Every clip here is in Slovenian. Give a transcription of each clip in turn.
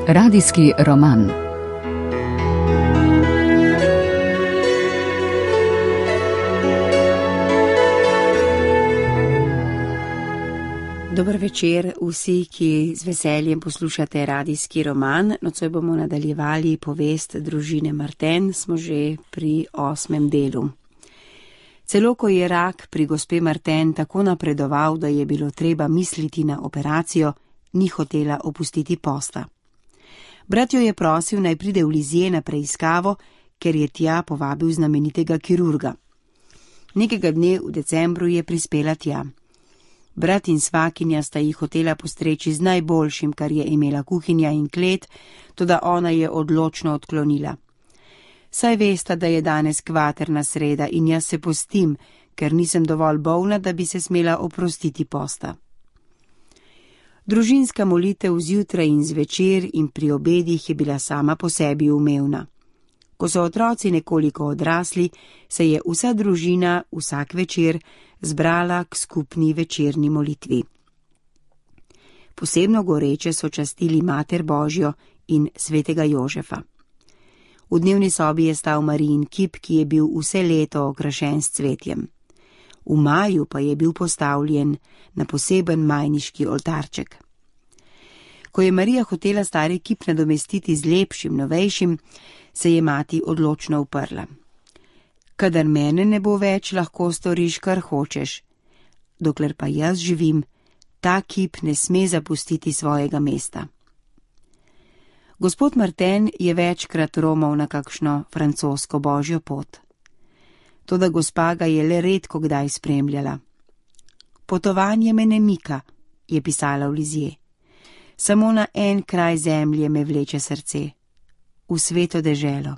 Radijski roman. Dober večer vsi, ki z veseljem poslušate radijski roman. Nocoj bomo nadaljevali povest družine Martin, smo že pri 8. delu. Celo ko je rak pri gospe Martin tako napredoval, da je bilo treba misliti na operacijo, ni hotela opustiti posta. Brat jo je prosil, naj pride v Lizije na preiskavo, ker je tja povabil znamenitega kirurga. Nekega dne v decembru je prispela tja. Brat in svakinja sta jih hotela postreči z najboljšim, kar je imela kuhinja in klet, toda ona je odločno odklonila. Saj vesta, da je danes kvaterna sreda in jaz se postim, ker nisem dovolj bolna, da bi se smela oprostiti posta. Družinska molitev zjutraj in zvečer in pri obedih je bila sama po sebi umevna. Ko so otroci nekoliko odrasli, se je vsa družina vsak večer zbrala k skupni večerni molitvi. Posebno goreče so častili Mater Božjo in svetega Jožefa. V dnevni sobi je stal Marijin kip, ki je bil vse leto okrašen s cvetjem. V maju pa je bil postavljen na poseben majniški oltarček. Ko je Marija hotela stari kip nadomestiti z lepšim, novejšim, se je mati odločno uprla. Kadar mene ne bo več, lahko storiš, kar hočeš. Dokler pa jaz živim, ta kip ne sme zapustiti svojega mesta. Gospod Martin je večkrat romal na kakšno francosko božjo pot. Toda gospa ga je le redko kdaj spremljala. Potovanje me ne mika, je pisala v Lizije. Samo na en kraj zemlje me vleče srce. V sveto deželo.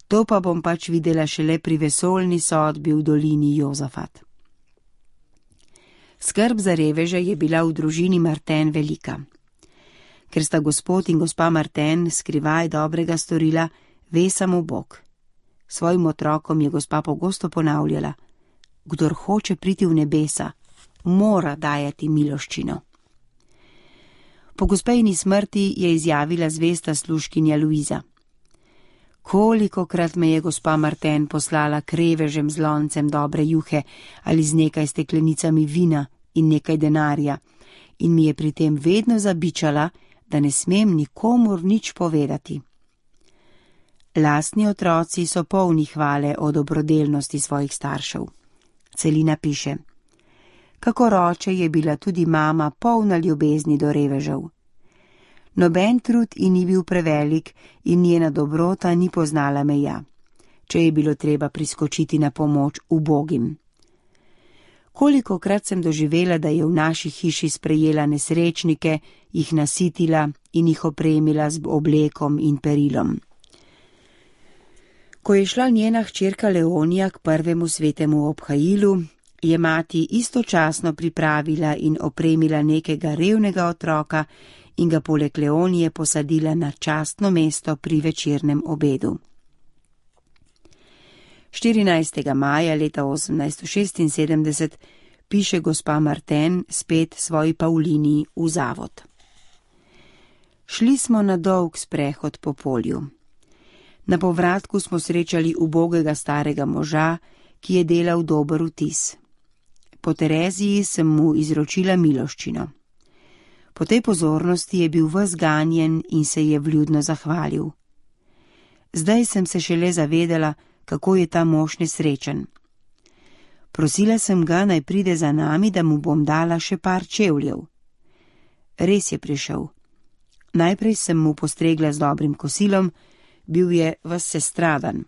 To pa bom pač videla šele pri vesoljni sodbi v dolini Jozafat. Skrb za reveže je bila v družini Martin velika. Ker sta gospod in gospa Martin skrivaj dobrega storila, ve samo Bog. Svojim otrokom je gospa pogosto ponavljala: kdor hoče priti v nebesa, mora dajati miloščino. Po gospejni smrti je izjavila zvesta služkinja Luiza: kolikokrat me je gospa Martin poslala k revežem z loncem dobre juhe ali z nekaj steklenicami vina in nekaj denarja, in mi je pri tem vedno zabičala, da ne smem nikomur nič povedati. Lastni otroci so polni hvale o dobrodelnosti svojih staršev. Celina piše: kakor oče je bila tudi mama polna ljubezni do revežev. Noben trud ji ni bil prevelik in njena dobrota ni poznala meja, če je bilo treba priskočiti na pomoč ubogim. Kolikokrat sem doživela, da je v naši hiši sprejela nesrečnike, jih nasitila in jih opremila z oblekom in perilom. Ko je šla njena hčerka Leonija k prvemu svetemu obhajilu, je mati istočasno pripravila in opremila nekega revnega otroka in ga poleg Leonije posadila na častno mesto pri večernem obedu. 14. maja leta 1876 piše gospa Martin spet svoji Paulini v zavod. Šli smo na dolg sprehod po polju. Na povratku smo srečali ubogega starega moža, ki je delal dober vtis. Po Tereziji sem mu izročila miloščino. Po tej pozornosti je bil ves ganjen in se je vljudno zahvalil. Zdaj sem se šele zavedala, kako je ta mož nesrečen. Prosila sem ga, naj pride za nami, da mu bom dala še par čevljev. Res je prišel. Najprej sem mu postregla z dobrim kosilom, bil je ves sestradan.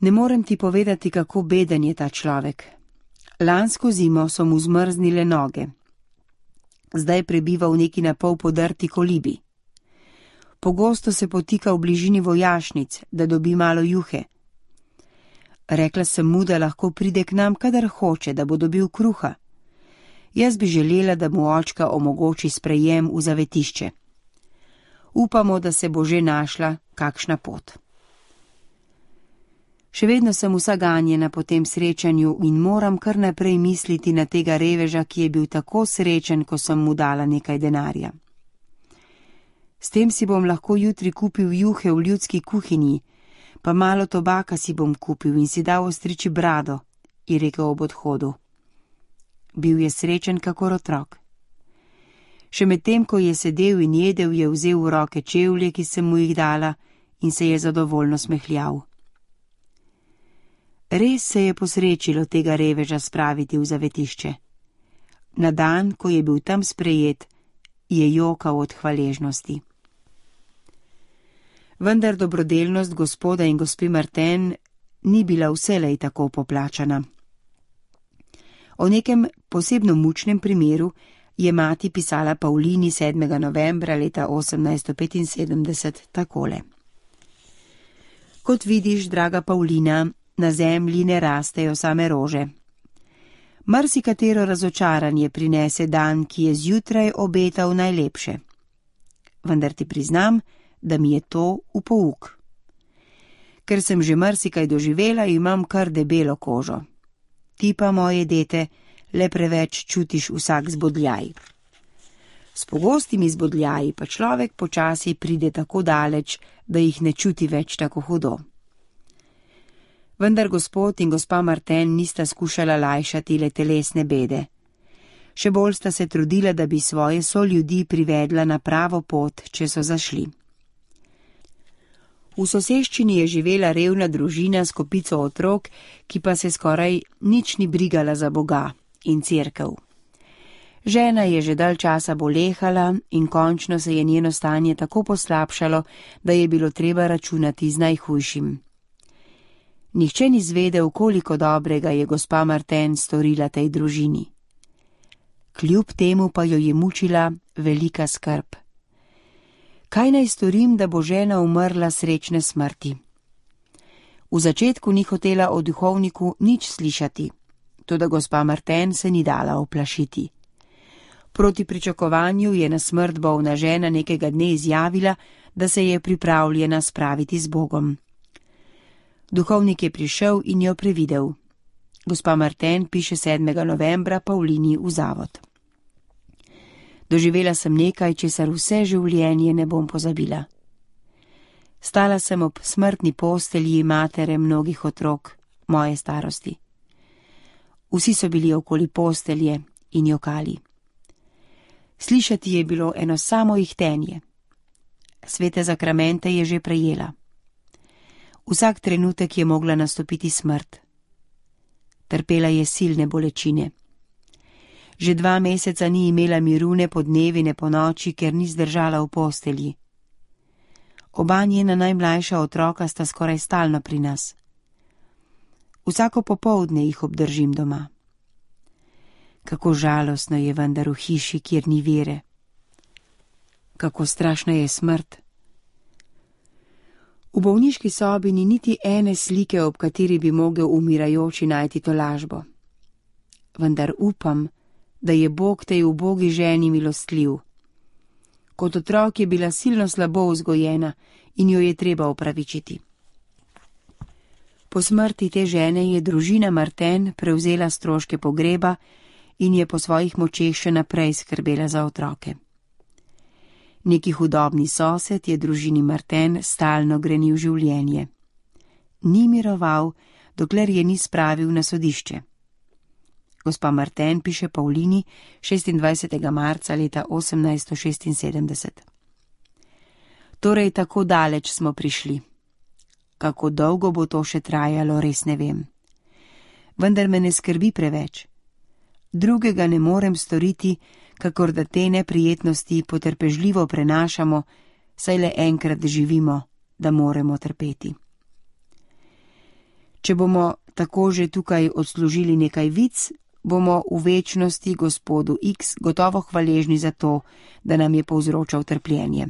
Ne morem ti povedati, kako beden je ta človek. Lansko zimo so mu zmrznile noge. Zdaj prebiva v neki napol podrti kolibi. Pogosto se potika v bližini vojašnic, da dobi malo juhe. Rekla sem mu, da lahko pride k nam, kadar hoče, da bo dobil kruha. Jaz bi želela, da mu očka omogoči sprejem v zavetišče. Upamo, da se bo že našla kakšna pot. Še vedno sem vsa ganjena po tem srečanju in moram kar naprej misliti na tega reveža, ki je bil tako srečen, ko sem mu dala nekaj denarja. S tem si bom lahko jutri kupil juhe v ljudski kuhinji, pa malo tobaka si bom kupil in si dal ostriči brado, je rekel ob odhodu. Bil je srečen kakor otrok. Še medtem, ko je sedel in jedel, je vzel v roke čevlje, ki sem mu jih dala, in se je zadovoljno smehljal. Res se je posrečilo tega reveža spraviti v zavetišče. Na dan, ko je bil tam sprejet, je jokal od hvaležnosti. Vendar dobrodelnost gospoda in gospe Martin ni bila vselej tako poplačana. O nekem posebno mučnem primeru je mati pisala Pavlini 7. novembra leta 1875 takole. Kot vidiš, draga Pavlina, na zemlji ne rastejo same rože. Marsikatero razočaranje prinese dan, ki je zjutraj obetal najlepše. Vendar ti priznam, da mi je to v pouk. Ker sem že marsikaj doživela, imam kar debelo kožo. Ti pa, moje dete, le preveč čutiš vsak zbodljaj. S pogostimi zbodljaji pa človek počasi pride tako daleč, da jih ne čuti več tako hudo. Vendar gospod in gospa Martin nista skušala lajšati le telesne bede. Še bolj sta se trudila, da bi svoje soljudi privedla na pravo pot, če so zašli. V soseščini je živela revna družina s kopico otrok, ki pa se skoraj nič ni brigala za Boga in cerkev. Žena je že dalj časa bolehala in končno se je njeno stanje tako poslabšalo, da je bilo treba računati z najhujšim. Nihče ni zvedel, koliko dobrega je gospa Martin storila tej družini. Kljub temu pa jo je mučila velika skrb. Kaj naj storim, da bo žena umrla srečne smrti? V začetku ni hotela o duhovniku nič slišati, toda gospa Martin se ni dala oplašiti. Proti pričakovanju je na smrt bolna žena nekega dne izjavila, da se je pripravljena spraviti z Bogom. Duhovnik je prišel in jo previdel. Gospa Martin piše 7. novembra Pavlini v zavod. Doživela sem nekaj, česar vse življenje ne bom pozabila. Stala sem ob smrtni postelji matere mnogih otrok, moje starosti. Vsi so bili okoli postelje in jokali. Slišati je bilo eno samo ihtenje. Svete zakramente je že prejela. Vsak trenutek je mogla nastopiti smrt. Trpela je silne bolečine. Že 2 meseca ni imela miru ne po dnevi ne po noči, ker ni zdržala v postelji. Oba njena najmlajša otroka sta skoraj stalno pri nas. Vsako popoldne jih obdržim doma. Kako žalostno je vendar v hiši, kjer ni vere. Kako strašna je smrt. V bolniški sobi ni niti ene slike, ob kateri bi mogel umirajoči najti tolažbo. Vendar upam, da je Bog tej ubogi ženi milostljiv. Kot otrok je bila silno slabo vzgojena in jo je treba opravičiti. Po smrti te žene je družina Martin prevzela stroške pogreba in je po svojih močeh še naprej skrbela za otroke. Neki hudobni sosed je družini Martin stalno grenil življenje. Ni miroval, dokler je ni spravil na sodišče. Gospa Martin piše Pavlini 26. marca leta 1876. Torej, tako daleč smo prišli. Kako dolgo bo to še trajalo, res ne vem. Vendar me ne skrbi preveč. Drugega ne morem storiti, kakor da te neprijetnosti potrpežljivo prenašamo, saj le enkrat živimo, da moremo trpeti. Če bomo tako že tukaj odslužili nekaj vic, bomo v večnosti gospodu X gotovo hvaležni za to, da nam je povzročal trpljenje.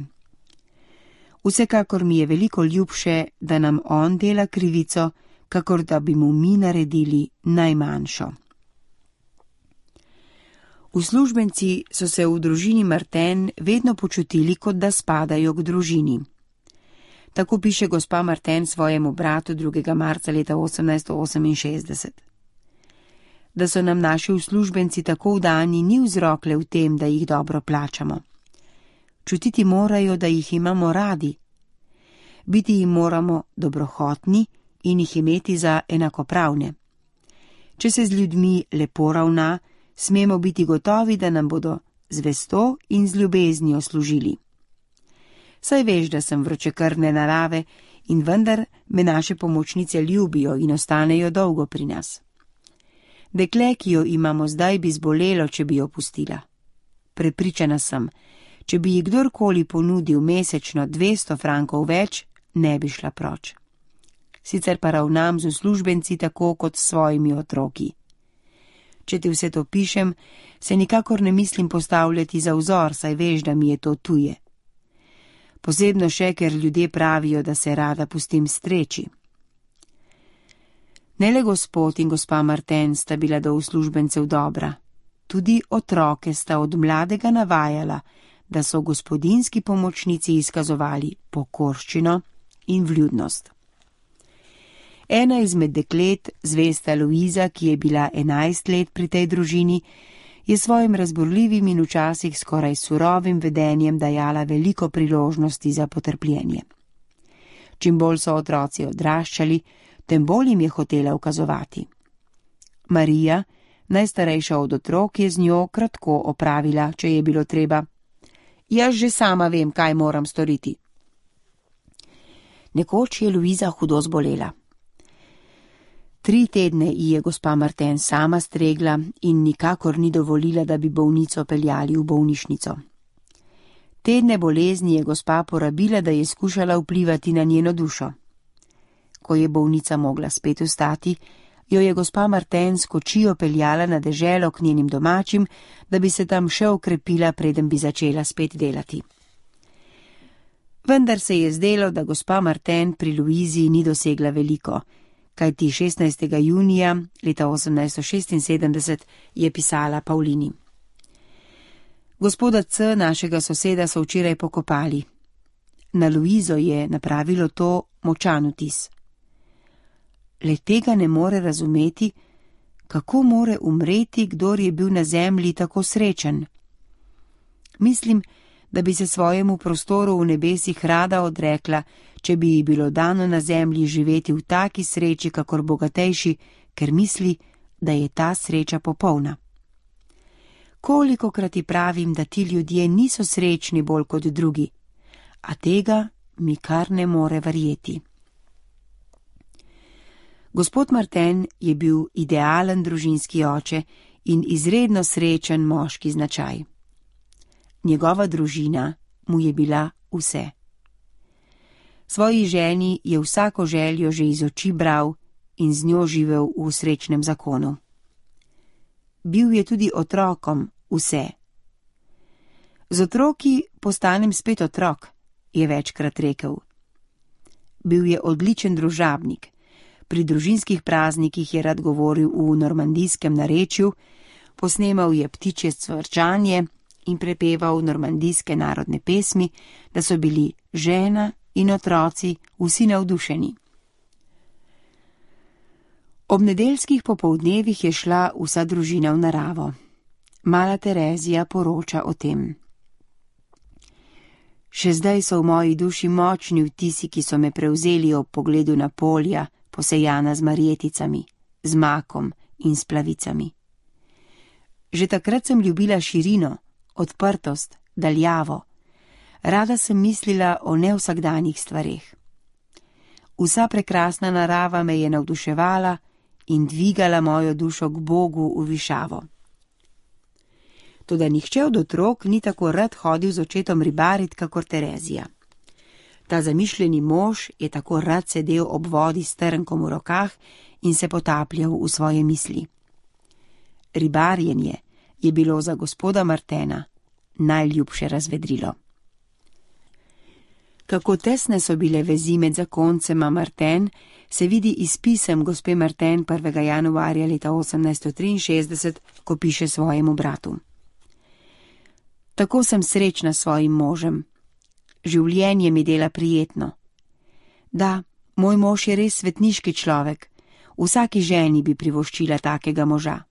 Vsekakor mi je veliko ljubše, da nam on dela krivico, kakor da bi mu mi naredili najmanjšo. Uslužbenci so se v družini Martin vedno počutili, kot da spadajo k družini. Tako piše gospa Martin svojemu bratu 2. marca leta 1868. Da so nam naši uslužbenci tako vdani, ni vzrok le v tem, da jih dobro plačamo. Čutiti morajo, da jih imamo radi. Biti jim moramo dobrohotni in jih imeti za enakopravne. Če se z ljudmi lepo ravna, smemo biti gotovi, da nam bodo z vesto in z ljubeznijo služili. Saj veš, da sem vročekrvne narave in vendar me naše pomočnice ljubijo in ostanejo dolgo pri nas. Dekle, ki jo imamo zdaj, bi zbolelo, če bi jo pustila. Prepričana sem, če bi ji kdorkoli ponudil mesečno 200 frankov več, ne bi šla proč. Sicer pa ravnam z uslužbenci tako kot s svojimi otroki. Če ti vse to pišem, se nikakor ne mislim postavljati za vzor, saj veš, da mi je to tuje. Posebno še, ker ljudje pravijo, da se rada pustim streči. Ne le gospod in gospa Martin sta bila do uslužbencev dobra, tudi otroke sta od mladega navajala, da so gospodinski pomočnici izkazovali pokorščino in vljudnost. Ena izmed deklet, zvesta Luiza, ki je bila 11 let pri tej družini, je svojim razborljivim in včasih skoraj surovim vedenjem dajala veliko priložnosti za potrpljenje. Čim bolj so otroci odraščali, tem bolj jim je hotela ukazovati. Marija, najstarejša od otrok, je z njo kratko opravila, če je bilo treba. Jaz že sama vem, kaj moram storiti. Nekoč je Luiza hudo zbolela. 3 tedne ji je gospa Martin sama stregla in nikakor ni dovolila, da bi bolnico peljali v bolnišnico. Tedne bolezni je gospa porabila, da je skušala vplivati na njeno dušo. Ko je bolnica mogla spet vstati, jo je gospa Martin s kočijo peljala na deželo k njenim domačim, da bi se tam še okrepila, preden bi začela spet delati. Vendar se je zdelo, da gospa Martin pri Luizi ni dosegla veliko, kajti 16. junija leta 1876 je pisala Paulini. Gospoda C., našega soseda, so včeraj pokopali. Na Luizo je napravilo to močan vtis. Le tega ne more razumeti, kako more umreti, kdor je bil na zemlji tako srečen. Mislim, da bi se svojemu prostoru v nebesih rada odrekla, če bi ji bilo dano na zemlji živeti v taki sreči, kakor bogatejši, ker misli, da je ta sreča popolna. Kolikokrat ji pravim, da ti ljudje niso srečni bolj kot drugi, a tega mi kar ne more verjeti. Gospod Martin je bil idealen družinski oče in izredno srečen moški značaj. Njegova družina mu je bila vse. Svoji ženi je vsako željo že iz oči bral in z njo živel v srečnem zakonu. Bil je tudi otrokom vse. Z otroki postanem spet otrok, je večkrat rekel. Bil je odličen družabnik. Pri družinskih praznikih je rad govoril v normandijskem narečju, posnemal je ptičje cvrčanje in prepeval normandijske narodne pesmi, da so bili žena in otroci vsi navdušeni. Ob nedeljskih popoldnevih je šla vsa družina v naravo. Mala Terezija poroča o tem. Še zdaj so v moji duši močni vtisi, ki so me prevzeli ob pogledu na polja, posejana z marjeticami, z makom in s plavicami. Že takrat sem ljubila širino, odprtost, daljavo. Rada sem mislila o nevsakdanjih stvareh. Vsa prekrasna narava me je navduševala in dvigala mojo dušo k Bogu v višavo. Toda nihče od otrok ni tako rad hodil z očetom ribarit, kakor Terezija. Ta zamišljeni mož je tako rad sedel ob vodi s trnkom v rokah in se potapljal v svoje misli. Ribarjenje je bilo za gospoda Martena najljubše razvedrilo. Kako tesne so bile vezi med zakoncema Martin, se vidi iz pisem gospe Martin 1. januarja leta 1863, ko piše svojemu bratu. Tako sem srečna s svojim možem. Življenje mi dela prijetno. Da, moj mož je res svetniški človek. Vsaki ženi bi privoščila takega moža.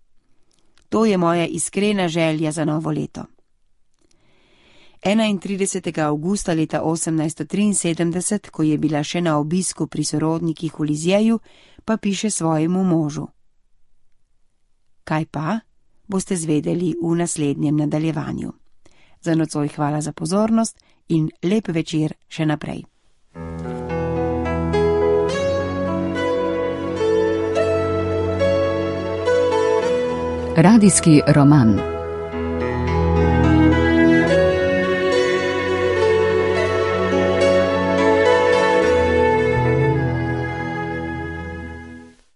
To je moja iskrena želja za novo leto. 31. avgusta leta 1873, ko je bila še na obisku pri sorodnikih v Lizjeju, pa piše svojemu možu. Kaj pa, boste zvedeli v naslednjem nadaljevanju. Za nocoj hvala za pozornost in lep večer še naprej. Radijski roman.